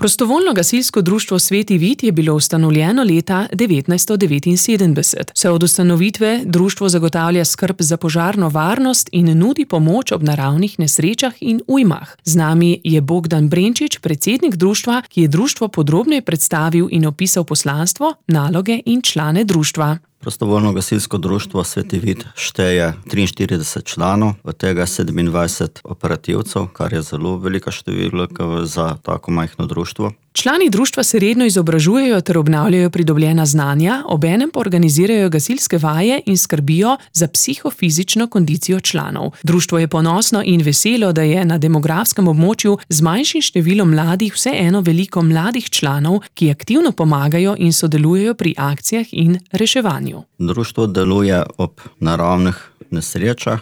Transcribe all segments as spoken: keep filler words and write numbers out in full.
Prostovoljno gasilsko društvo Sveti Vid je bilo ustanovljeno leta devetnajststo devetinsedemdeset. Vse od ustanovitve društvo zagotavlja skrb za požarno varnost in nudi pomoč ob naravnih nesrečah in ujmah. Z nami je Bogdan Brenčič, predsednik društva, ki je društvo podrobneje predstavil in opisal poslanstvo, naloge in člane društva. Prostovoljno gasilsko društvo Sveti Vid šteje triinštirideset članov, od tega sedemindvajset operativcev, kar je zelo velika številka za tako majhno društvo. Člani društva se redno izobražujejo ter obnavljajo pridobljena znanja, obenem pa organizirajo gasilske vaje in skrbijo za psihofizično kondicijo članov. Društvo je ponosno in veselo, da je na demografskem območju z manjšim številom mladih vseeno veliko mladih članov, ki aktivno pomagajo in sodelujejo pri akcijah in reševanju. Društvo deluje ob naravnih nesrečah.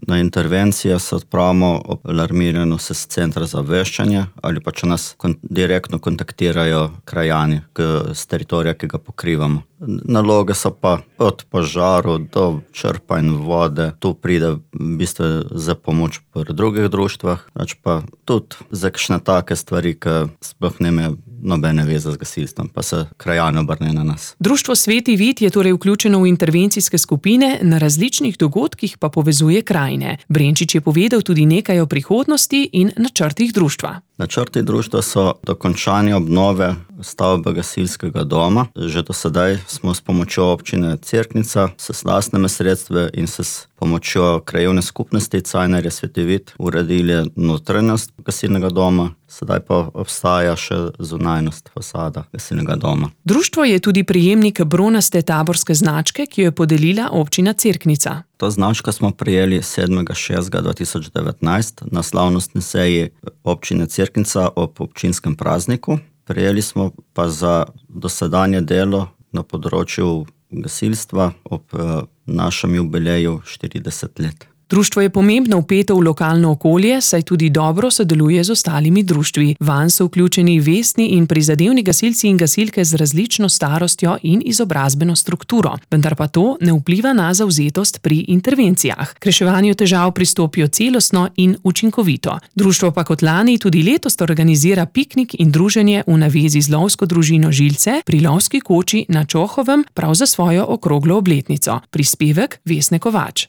Na intervencije se odpravimo ob alarmiranju s centra za obveščanje ali pa če nas kon- direktno kontaktirajo krajani z teritorija, ki ga pokrivamo. Naloge so pa od požarov do črpanja vode. Tu pride v bistvu za pomoč pri drugih društvah, pač pa tudi za kakšne take stvari, ki sploh nemajo nobene veze z gasilstvom, pa se krajani obrnejo na nas. Društvo Sveti Vid je torej vključeno v intervencijske skupine, na različnih dogodkih pa povezuje krajine. Brenčič je povedal tudi nekaj o prihodnosti in načrtih društva. Načrti društva so dokončanje obnove stavbe gasilskega doma. Že do sedaj smo s pomočjo občine Cerknica, s lastnimi sredstvi in s pomočjo krajevne skupnosti Cajnarje Sveti Vid uredili notranjost gasilnega doma, sedaj pa obstaja še zunanjost fasada gasilnega doma. Društvo je tudi prejemnik bronaste taborske značke, ki jo je podelila občina Cerknica. To značko smo prejeli sedmega šestega dva tisoč devetnajst na slavnostni seji občine Cerknica ob občinskem prazniku. Prejeli smo pa za dosedanje delo na področju gasilstva ob našem jubileju štirideset let. Društvo je pomembno vpeto v lokalno okolje, saj tudi dobro sodeluje z ostalimi društvi. Vanj so vključeni vestni in prizadevni gasilci in gasilke z različno starostjo in izobrazbeno strukturo. Vendar pa to ne vpliva na zavzetost pri intervencijah. K reševanju težav pristopijo celostno in učinkovito. Društvo pa kot lani tudi letos organizira piknik in druženje v navezi z lovsko družino Žilce pri lovski koči na Čohovem prav za svojo okroglo obletnico. Prispevek Vesne Kovač.